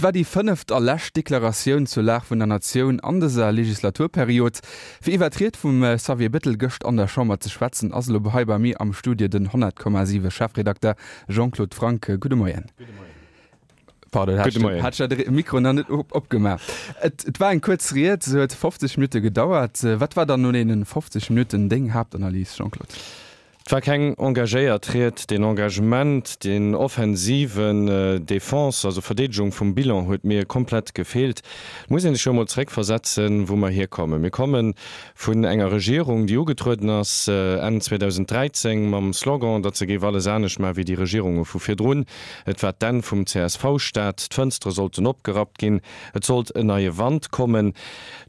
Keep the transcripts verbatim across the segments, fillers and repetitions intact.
Et war déi fënneft a lescht Deklaratioun zur Lag vun der Natioun an dëser Legislaturperiod. Fir iwwer d'Ried vum Xavier Bettel gëscht an der Chamber ze schwätzen, ass elo hei bei mir am Studio den honnert Komma siwe Chefredakter Jean-Claude Franck. Gudde Moien. Gudde Moien. Pardon, hat Gudde Moien. Hat ech de Mikro nach net opgemaach. Et, et war eng kuerz Ried, se huet fofzeg Minutte gedauert. Wat war dann no deenen fofzeg Minutten deng Haaptanalys, Jean-Claude? Et war keng engagéiert Ried. Deen Engagement, deen offensiven Defense, also Verdeedegung vum Bilan huet mir komplett gefeelt. Et muss ee sech jo emol zeréckversetzen, wou mer hierkommen. Mir komme vun enger Regierung, déi ugetrueden ass Enn zweedausenddräizéng mam Slogan, datt se géif alles anescht maachen wéi déi Regierunge vu virdrun. Et war d'Enn vum C S V-Staat, d'Fënstere sollten opgerappt ginn, et sollt en neie Wand kommen.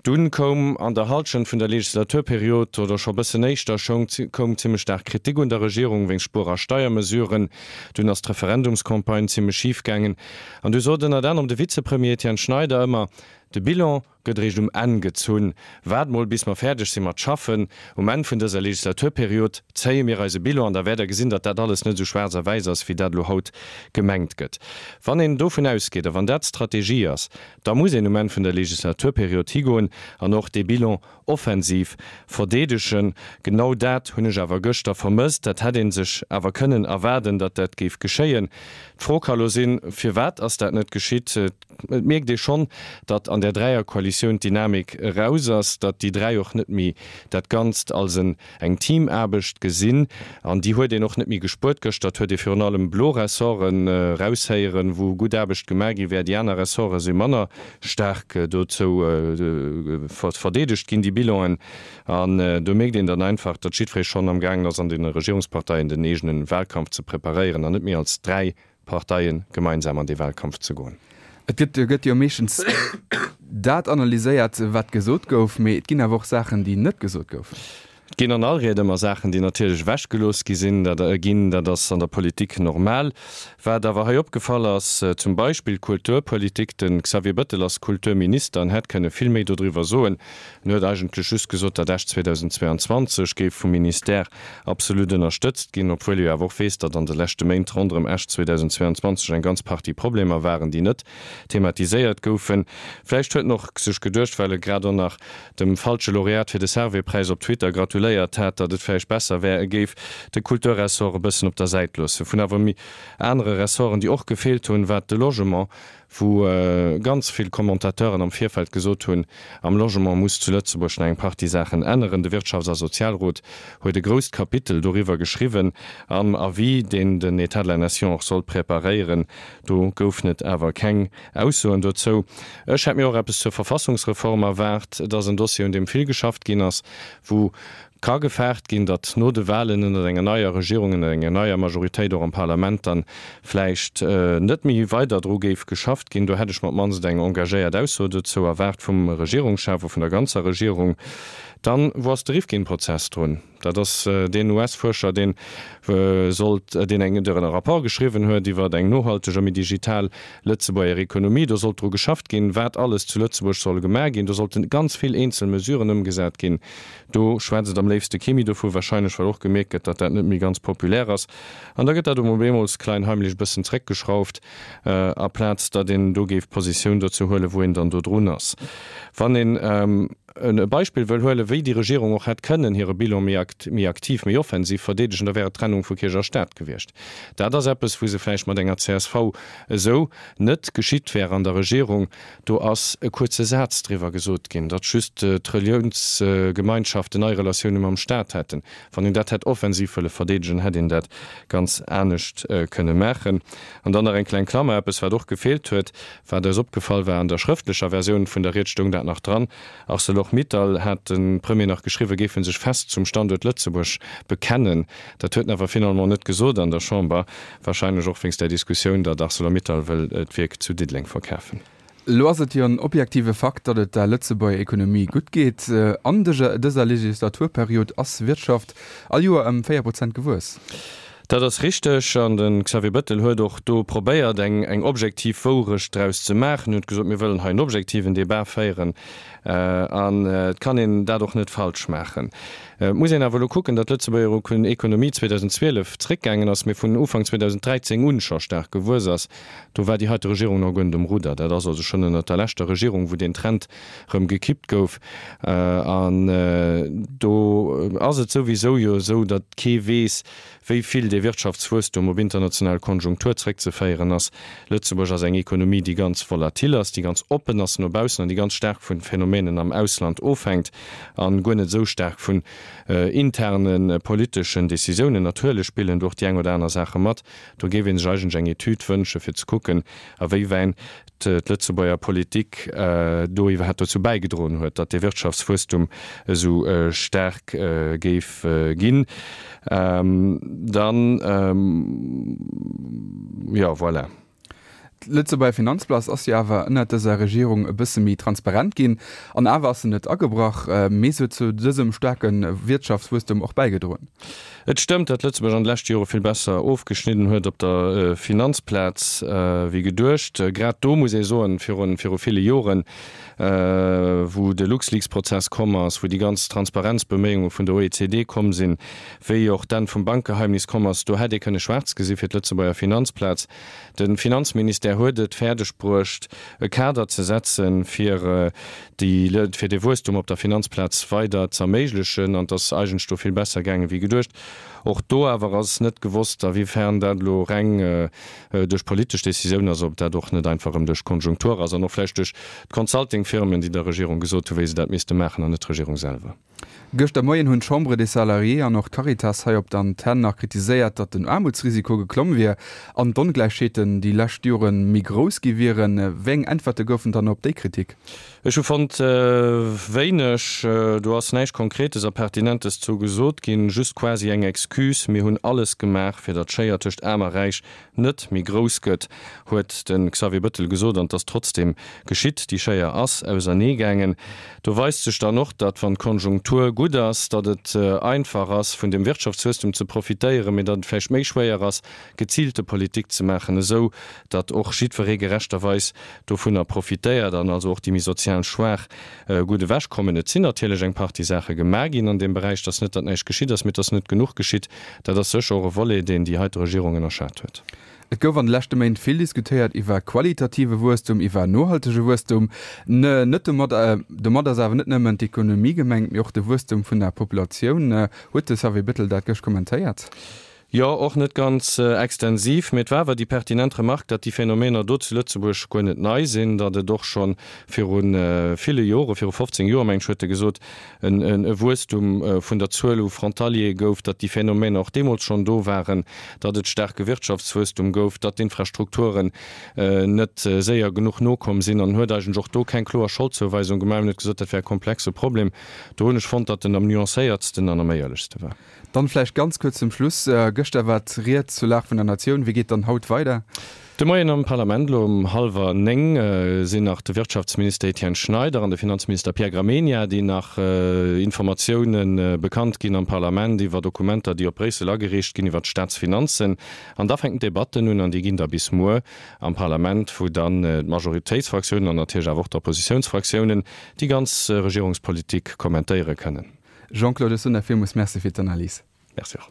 Dunn koum an der Halschent vun der Legislaturperiod, oder scho bëssen éischter, koum zimmlech staark Kritik un der Regierung wéinst Spuer a Steiermesuren. Dunn ass d'Referendumscampagne zimmlech schif gaangen. An du sot ënnert anerem de Vizepremier Etienne Schneider ëmmer, De Bilan gëtt eréischt um Enn gezunn. Waart mol, bis mer fäerdeg si mat schaffen. Um Enn vun dëser Legislaturperiod zéie mir eise Bilan an da wäert Der gesinn, datt dat alles net esou schwaarz a wäiss ass, wéi dat elo haut gemengt gëtt. Wann een dovun ausgeet a wann dat d'Strategie ass, da muss een um Enn vun der Legislaturperiod higoen an och dee Bilan offensiv verdeedegen. Genau dat hunn ech awer gëschter vermësst. Dat hätt ee sech awer kënnen erwaarden, datt dat géif geschéien. D'Fro ka lo sinn, Firwat ass dat net geschitt? Et mierkt ee schonn, datt an där Dräierkoalitioun d'Dynamik eraus ass, datt déi dräi och net méi dat Ganzt als eng Teamaarbecht gesinn. An déi huet een och net méi gespuert. Gëschter huet ee virun allem blo Ressorten eraushéieren, wou gutt Aarbecht gemaach gi wär. Déi aner Ressorte si manner staark dozou verdeedegt ginn, déi Bilanen. An do mierkt een dann einfach, datt jiddweree schonn am gaangen ass, an deene Regierungsparteien den eegene Wahlkampf ze preparéieren an net méi als dräi Parteie gemeinsam an dee Wahlkampf ze goen. Et gëtt gëtt jo meeschtens dat analyséiert, wat gesot gouf, mee et ginn awer och Saachen, déi net gesot goufen. Et ginn an all Ried ëmmer Saachen, déi natierlech ewechgelooss gi sinn, dat ginn, dat ass an der Politik normal. Wat awer hei opgefall ass, zum Beispill d'Kulturpolitik, de Xavier Bettel ass Kulturminister an hätt kënne vill méi dodriwwer soen. En huet eigentlech just gesot, datt Esch zweedausendzweeanzwanzeg géif vum Ministère absolut ënnerstëtzt ginn, obwuel e jo awer och weess, datt an de leschte Méint ronderëm Esch zweedausendzweeanzwanzeg eng ganz Partie Problemer waren, déi net thematiséiert goufen. Vläicht huet en och sech geduecht, well e grad och nach dem falsche Laureat fir de Servais-Präis op Twitter gratuléiert hat, datt et vläicht besser wär, e géif de Kulturressort e bëssen op der Säit loossen. Vun awer méi anere Ressorten, déi och gefeelt hunn, war de Logement, wou ganz vill Commentateuren am Virfeld gesot hunn, am Logement muss zu Lëtzebuerg nach eng Partie Saachen änneren. De Wirtschafts a Sozialrot huet e grousst Kapitel doriwwer geschriwwen am Avis, deen den État de la Nation och sollt preparéieren. Do goufen et awer keng Aussoen dozou. Ech hätt mir och eppes zur Verfassungsreform erwaart. Et ass en Dossier, un deem vill geschafft ginn ass, wou ka gefaart ginn, datt no de Wahlen ënnert enger neier Regierung, ënnert enger neier Majoritéit och am Parlament dann vläicht net méi weider dru géif geschafft ginn. Do hätt ech mer op d'mannst eng engagéiert Ausso dozou erwaart vum Regierungschef a vun der ganzer Regierung. Dann, wou ass de Rifkin-Prozess drun? Dat ass deen U S-Fuerscher, deen sollt, deen eng, e Rapport geschriwwen huet iwwer eng nohalteg a méi digital Lëtzebuerger Ekonomie. Do sollt dru geschafft ginn, wat alles zu Lëtzebuerg soll gemaach ginn. Do sollten ganz vill eenzel Mesuren ëmgesat ginn. Do schwätzt et am léifste kee méi dovu, wahrscheinlech well och gemierkt gëtt, datt dat net méi ganz populär ass. An da gëtt dat op eemol klein heimlech e bëssen zréckgeschrauft, aplaz datt een do géif Positioun dozou huelen, wou een dann do drun ass. Wann een e Beispill wëll huelen, wéi déi Regierung och hätt kënnen hire Bilan méi méi aktiv, méi offensiv verdeedegen, da wär et d'Trennung vu Kierch a Staat gewiescht. Dat ass eppes, wou se vläicht mat enger C S V esou net geschitt wär an der Regierung. Do ass e kuerze Saz driwwer gesot ginn, datt just d'Reliounsgemeinschaften nei Relatioune mam Staat hätten. Wann een dat hätt offensiv wëlle verdeedegen, hätt een dat ganz anescht kënne maachen. An dann nach eng kleng Klammer, eppes wat och gefeelt huet, wat eis opgefall war, an der schrëftlecher Versioun vun der Ried stoung dat nach dran, Arcelor-Mittal, hat de Premier nach geschriwwen, géife sech fest zum Standuert Lëtzebuerg bekennen. Dat huet en awer finalement net gesot an der Chamber, wahrscheinlech och wéinst där Diskussioun, datt Arcelor-Mittal wëll d'Wierk zu Diddeleng verkafen. Elo ass et jo en objektive Fakt, datt et der Lëtzebuerger Ekonomie gutt geet. An dëser Legislaturperiod ass Wirtschaft all Joer ëm véier Prozent gewuess. Dat ass richteg an de Xavier Bëttel huet och do probéiert eng eng objektiv Wourecht draus ze maachen, huet gesot, mir wëllen hei en objektiven Debat féieren an et kann een dat och net falsch maachen. Et muss een awer elo kucken, datt d'Lëtzebuerger Ekonomie zweedausendzwielef zréckgaangen ass, mee vun Ufank zweedausenddräizéng un scho staark gewuess ass. Do war déi heite Regierung nach guer net um Rudder. Dat ass also schonn ënnert der leschter Regierung, wou deen Trend erëm gekippt gouf. An do ass et souwisou jo esou, datt kee weess, wéi vill dee Wirtschaftswuesstum op international Konjunktur zréckzeféieren ass. Lëtzebuerg ass eng Ekonomie, déi ganz volatil ass, déi ganz oppen ass no baussen an déi ganz staark vu Phänomenen am Ausland ofhänkt a guer net esou staark vun interne politeschen Decisiounen. Natierlech spillen do och déi eng oder aner Saache mat. Do géif ee sech eigentlech eng Etüd wënsche fir ze kucken, a wéiwäin d'Lëtzebuerger Politik do iwwerhaapt dozou bäigedroen huet, datt dee Wirtschaftswuesstum esou staark géif ginn. Dann, jo, voilà. D'Lëtzebuerger Finanzplaz ass jo awer ënnert dëser Regierung e bësse méi transparent ginn. An awer ass se net agebrach, mee se huet zu dësem staarke Wirtschaftswuesstum och bäigedroen. Et stëmmt, datt Lëtzebuerg an de leschte Jore vill besser ofgeschnidden huet op der Finanzplaz wéi geduecht. Grad do muss ee soen, viru ville Joren, wou de LuxLeaks-Prozess komm ass, wou déi ganz Transparenzbeméiunge vun der O E C D komm sinn, wéi och d'Enn vum Bankgeheimnis komm ass, do hätt ee kënne schwaarz gesi fir d'Lëtzebuerger Finanzplaz. De Finanzministère huet et fäerdeg bruecht, e Kader ze setzen, fir déi, fir dee Wuesstum op der Finanzplaz weider z'erméiglechen, an et ass eigentlech do vill besser gaange wéi geduecht. Och do awer ass net gewosst, awéifern dat elo reng duerch politesch Décisioun ass, ob dat och net einfach erëm duerch d'Konjunktur ass an och vläicht duerch d'Consultingfirmen, déi der Regierung gesot hu wéi se dat misste maachen, an net d'Regierung selwer. Gëschter Moien hunn d'Chambre des Salariés an och d'Caritas hei op der Antenn nach kritiséiert, datt den Aarmutsrisiko geklomm wier an d'Ongläichheeten déi lescht Jore méi grouss gi wieren. Wéi eng Äntwerte goufen dann op déi Kritik? Ech hu fonnt, wéineg. Do ass näischt Konkretes a Pertinentes zou gesot ginn, just quasi eng Excuse, Mir hunn alles gemaach, fir datt d'Schéier tëscht Aarm a Räich net méi grouss gëtt, huet de Xavier Bëttel gesot. An et ass trotzdeem geschitt, déi Schéier ass auserneegaangen. Do weist sech dann och, datt wann d'Konjunktur gutt ass, datt et einfach ass, vun dem Wirtschaftswuesstum ze profitéieren, mee datt et vläicht méi schwéier ass, geziilte Politik ze maachen, esou datt och jiddweree gerechterweis dovunner profitéiert an also och déi méi sozial Schwaach gutt ewechkommen. Et sinn natierlech eng Partie Saache gemaach ginn an deem Beräich. Et ass net, datt näischt geschitt ass, mee et ass net genuch geschitt. Dat ass sécher och e Volet, deen déi heite Regierung ënnerschat huet. Et gouf an de leschte Méint vill diskutéiert iwwer qualitative Wuesstum, iwwer nohaltege Wuesstum. Net domat, domat ass awer net nëmmen d'Ekonomie gemengt, mee och de Wuesstum vun der Populatioun. Huet de Xavier Bettel dat gëscht kommentéiert? Jo, och net ganz extensiv, mee et war awer déi pertinent Remark, datt déi Phänomener do zu Lëtzebuerg guer net nei sinn, datt et och scho viru ville Jore, viru fofzéng Joer, meng ech, huet e gesot, e Wuesstum vun der Zuel u Frontaliere gouf, datt déi Phänomener och deemools schonn do waren, datt et staarke Wirtschaftswuesstum gouf, datt d'Infrastrukturen net séier genuch nokomm sinn an huet eigentlech och do keng kloer Scholdzouweisung gemaach. En huet gesot, dat wär e komplexe Problem. Do hunn ech fonnt, datt en am nuancéiertsten an am éierlechste war. Dann vläicht ganz kuerz zum Schluss, Gëschter war d'Ried zur Lag vun der Natioun. Wéi geet dann haut weider? De Moien am Parlament elo um hallwer néng sinn nach de Wirtschaftsminister Etienne Schneider an de Finanzminister Pierre Gramegna, déi nach Informatioune bekannt ginn am Parlament iwwer Dokumenter, déi op Bréissel agereecht ginn iwwer d'Staatsfinanzen. An da fänken d'Debatten un an déi ginn da bis muer am Parlament, wou dann d'Majoritéitsfraktiounen an natierlech awer och d'Oppositiounsfraktiounen déi ganz Regierungspolitik kommentéiere kënnen. Jean-Claude Sunder, villmools Merci fir d'Analys. Merci och.